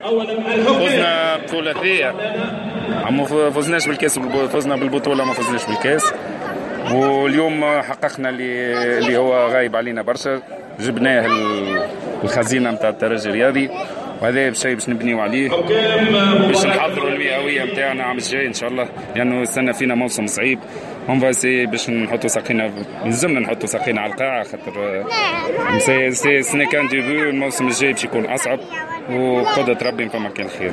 فزنا بثلاثية، ما فزناش بالكاس، فزنا بالبطولة، ما فزناش بالكاس. واليوم حققنا اللي هو غايب علينا برشا، جبناه الخزينة نتاع الترجي الرياضي، وهذا شيء باش نبنيو عليه باش نحضروا المئويه نتاعنا عام الجاي ان شاء الله، لانه استنى فينا موسم صعيب. on va essayer باش نحطوا ساقينا، لازمنا نحطوا ساقينا على القاعه، خاطر c'est ce n'est qu'un début. الموسم الجاي باش يكون اصعب، وقدرة ربي فما كان خير.